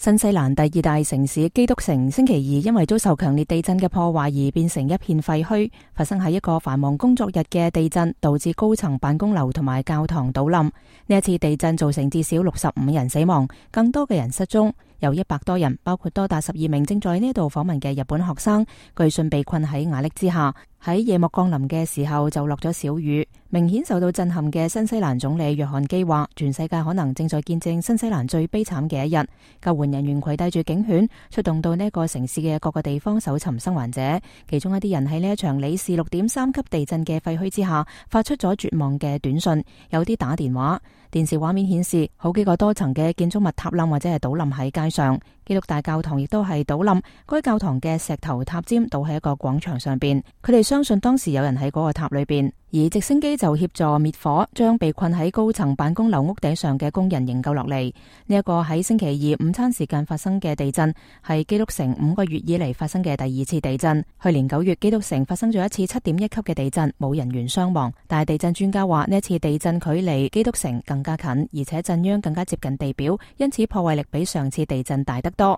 新西蘭第二大城市基督城星期二因為遭受強烈地震嘅破壞而變成一片廢墟。發生喺一個繁忙工作日嘅地震，導致高層辦公樓同埋教堂倒冧。呢一次地震造成至少65人死亡，更多嘅人失蹤。有100多人，包括多達12名正在呢度訪問嘅日本學生，據信被困喺瓦礫之下。喺夜幕降臨嘅時候就落咗小雨。明顯受到震撼嘅新西蘭總理約翰基話，全世界可能正在見證新西蘭最悲慘嘅一日。救援人員攜帶住警犬，出動到呢個城市嘅各個地方搜尋生還者。其中一啲人喺呢一場里氏6.3級地震嘅廢墟之下，發出咗絕望嘅短信，有啲打電話。電視畫面顯示，好幾個多層嘅建築物塌冧或者係倒冧喺街上。基督大教堂亦都係倒冧，該教堂嘅石頭塔尖倒喺一個廣場上邊。佢哋相信當時有人喺嗰個塔裏邊，而直升機就協助滅火，將被困喺高層辦公樓屋頂上嘅工人營救落嚟。呢一個喺星期二午餐時間發生嘅地震，係基督城5個月以嚟發生嘅第2次地震。去年9月，基督城發生咗一次7.1級嘅地震，冇人員傷亡。但係地震專家話，呢一次地震距離基督城更加近，而且震央更加接近地表，因此破壞力比上次地震大得多。